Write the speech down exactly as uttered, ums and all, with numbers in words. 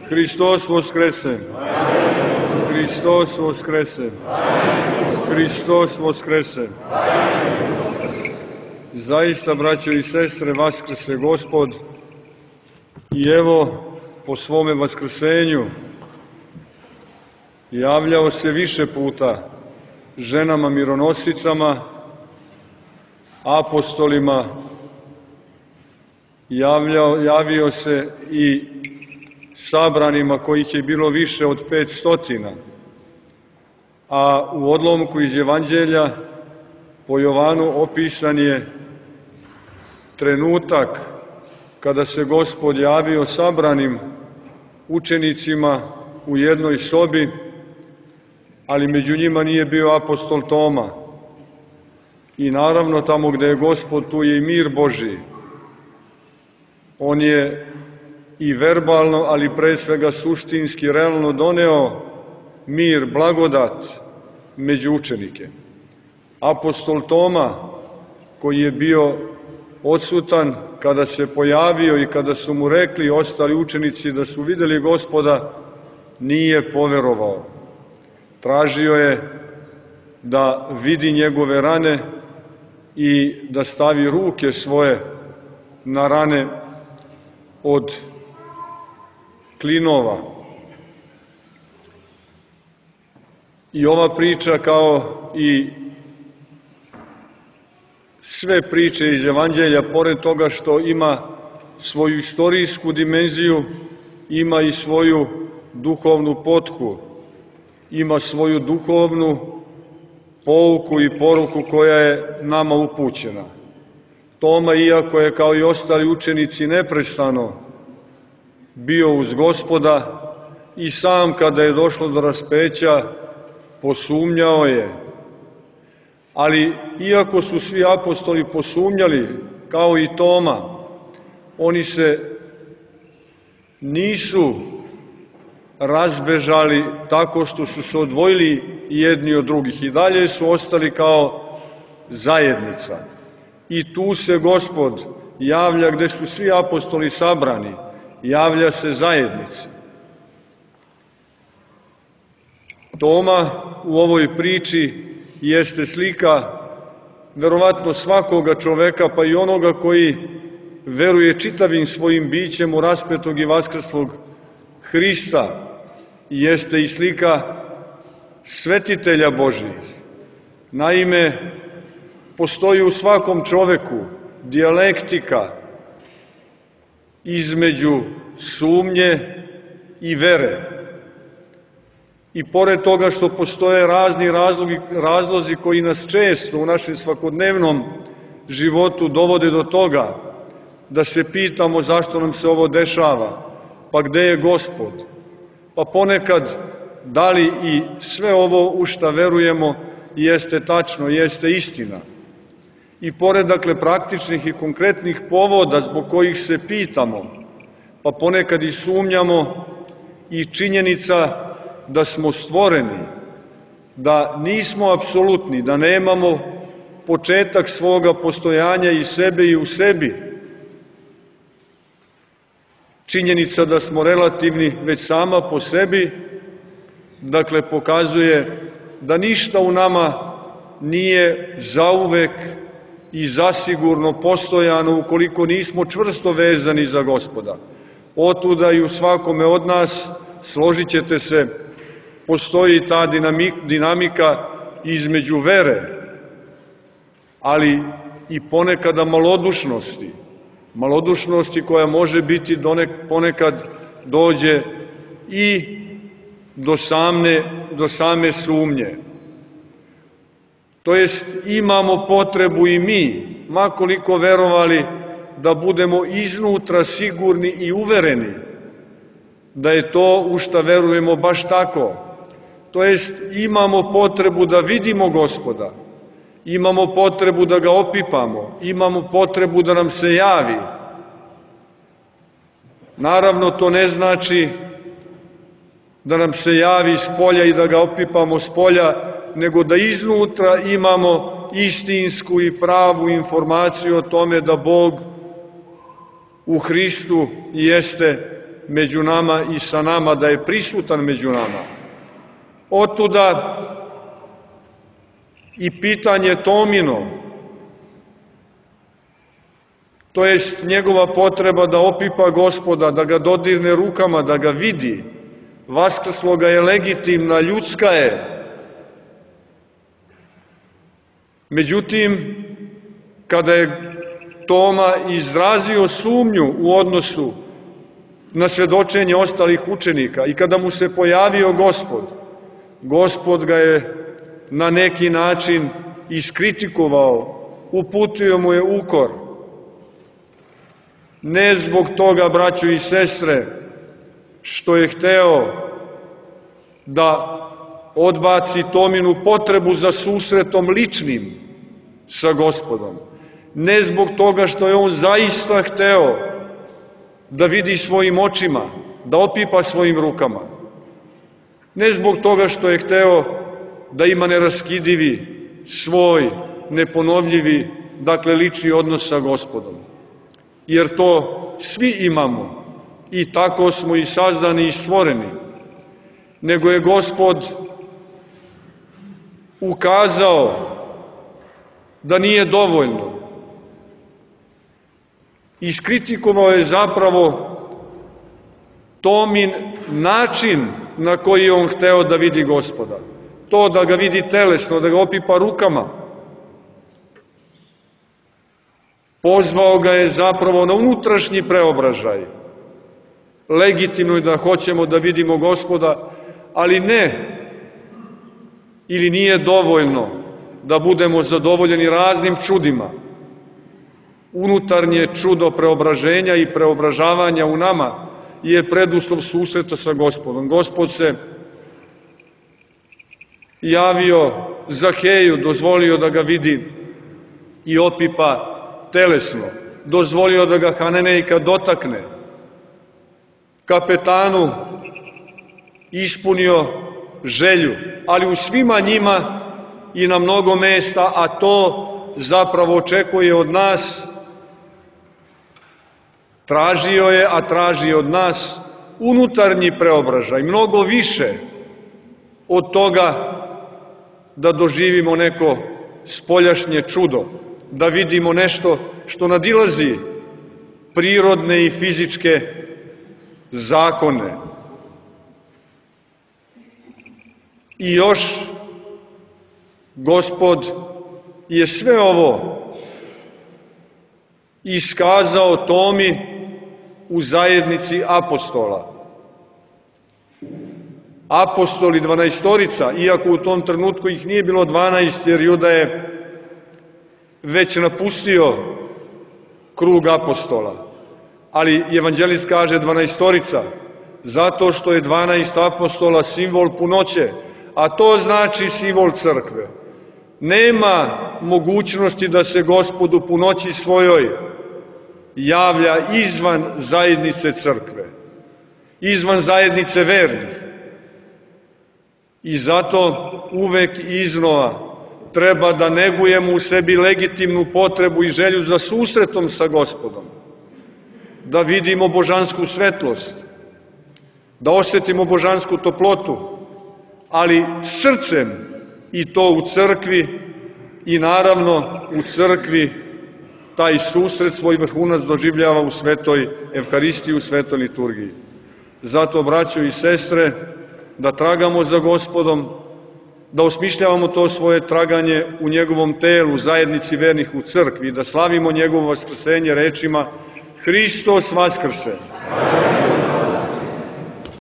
Hristos Voskrese! Hristos Voskrese! Hristos Voskrese! Zaista, braćo i sestre, vaskrse Gospod i evo po svome vaskrsenju javljao se više puta ženama mironosicama, apostolima, javljao, javio se i sabranima kojih je bilo više od pet stotina, a u odlomku iz Evanđelja po Jovanu opisan je trenutak kada se Gospod javio sabranim učenicima u jednoj sobi, ali među njima nije bio apostol Toma. I naravno tamo gde je Gospod, tu je i mir Božiji. On je i verbalno, ali pre svega suštinski, realno doneo mir, blagodat među učenike. Apostol Toma, koji je bio odsutan, kada se pojavio i kada su mu rekli ostali učenici da su videli Gospoda, nije poverovao. Tražio je da vidi njegove rane i da stavi ruke svoje na rane od klinova. I ova priča, kao i sve priče iz Evanđelja, pored toga što ima svoju istorijsku dimenziju, ima i svoju duhovnu potku, ima svoju duhovnu pouku i poruku koja je nama upućena. Toma, iako je kao i ostali učenici neprestano bio uz Gospoda, i sam kada je došlo do raspeća posumnjao je. Ali iako su svi apostoli posumnjali, kao i Toma, oni se nisu razbežali tako što su se odvojili jedni od drugih. I dalje su ostali kao zajednica. I tu se Gospod javlja gde su svi apostoli sabrani, javlja se zajednici. Toma u ovoj priči jeste slika verovatno svakoga čoveka, pa i onoga koji veruje čitavim svojim bićem u raspetog i vaskrslog Hrista. Jeste i slika svetitelja Božijih. Naime, postoji u svakom čoveku dijalektika između sumnje i vere. I pored toga što postoje razni razlogi, razlozi koji nas često u našem svakodnevnom životu dovode do toga da se pitamo zašto nam se ovo dešava, pa gde je Gospod, pa ponekad da li i sve ovo u šta verujemo jeste tačno, jeste istina. I pored, dakle, praktičnih i konkretnih povoda zbog kojih se pitamo, pa ponekad i sumnjamo, i činjenica da smo stvoreni, da nismo apsolutni, da nemamo početak svoga postojanja i sebe i u sebi. Činjenica da smo relativni već sama po sebi, dakle, pokazuje da ništa u nama nije zauvek i zasigurno postojano ukoliko nismo čvrsto vezani za Gospoda. Otuda i u svakome od nas, složit ćete se, postoji ta dinamika između vere, ali i ponekada malodušnosti. Malodušnosti koja može biti ponekad dođe i do same, do same sumnje. To jest, imamo potrebu i mi, makoliko verovali, da budemo iznutra sigurni i uvereni da je to u šta verujemo baš tako. To jest, imamo potrebu da vidimo Gospoda, imamo potrebu da ga opipamo, imamo potrebu da nam se javi. Naravno, to ne znači da nam se javi s polja i da ga opipamo s polja, nego da iznutra imamo istinsku i pravu informaciju o tome da Bog u Hristu jeste među nama i sa nama, da je prisutan među nama. Otuda i pitanje Tomino, to jest njegova potreba da opipa Gospoda, da ga dodirne rukama, da ga vidi. Vaskrsloga je legitimna, ljudska je. Međutim, kada je Toma izrazio sumnju u odnosu na svjedočenje ostalih učenika i kada mu se pojavio Gospod, Gospod ga je na neki način iskritikovao, uputio mu je ukor. Ne zbog toga, braćo i sestre, što je hteo da odbaci Tominu potrebu za susretom ličnim sa Gospodom. Ne zbog toga što je on zaista hteo da vidi svojim očima, da opipa svojim rukama. Ne zbog toga što je hteo da ima neraskidivi, svoj, neponovljivi, dakle lični odnos sa Gospodom. Jer to svi imamo i tako smo i sazdani i stvoreni. Nego je Gospod ukazao da nije dovoljno. Iskritikovao je zapravo Tomin način na koji je on hteo da vidi Gospoda. To da ga vidi telesno, da ga opipa rukama. Pozvao ga je zapravo na unutrašnji preobražaj. Legitimno je da hoćemo da vidimo Gospoda, ali ne, ili nije dovoljno da budemo zadovoljeni raznim čudima. Unutarnje čudo preobraženja i preobražavanja u nama je preduslov susreta sa Gospodom. Gospod se javio Zaheju, dozvolio da ga vidi i opipa telesno, dozvolio da ga Hananejka dotakne, kapetanu ispunio želju, ali u svima njima i na mnogo mesta, a to zapravo očekuje od nas, tražio je, a traži od nas unutarnji preobražaj, mnogo više od toga da doživimo neko spoljašnje čudo, da vidimo nešto što nadilazi prirodne i fizičke zakone. I još Gospod je sve ovo iskazao Tomi u zajednici apostola. Apostoli dvanaestorica, iako u tom trenutku ih nije bilo dvanaest, jer Juda je već napustio krug apostola. Ali evanđelist kaže dvanaestorica, zato što je dvanaest apostola simbol punoće, a to znači simbol crkve. Nema mogućnosti da se Gospod u punoći svojoj javlja izvan zajednice crkve, izvan zajednice vernih. I zato uvek iznova treba da negujemo u sebi legitimnu potrebu i želju za susretom sa Gospodom, da vidimo božansku svetlost, da osetimo božansku toplotu, ali srcem, i to u crkvi, i naravno u crkvi taj susret svoj vrhunac doživljava u svetoj Evharistiji, u svetoj liturgiji. Zato, braćo i sestre, da tragamo za Gospodom, da osmišljavamo to svoje traganje u njegovom telu, zajednici vernih u crkvi, da slavimo njegovo vaskrsenje rečima Hristos vaskrse.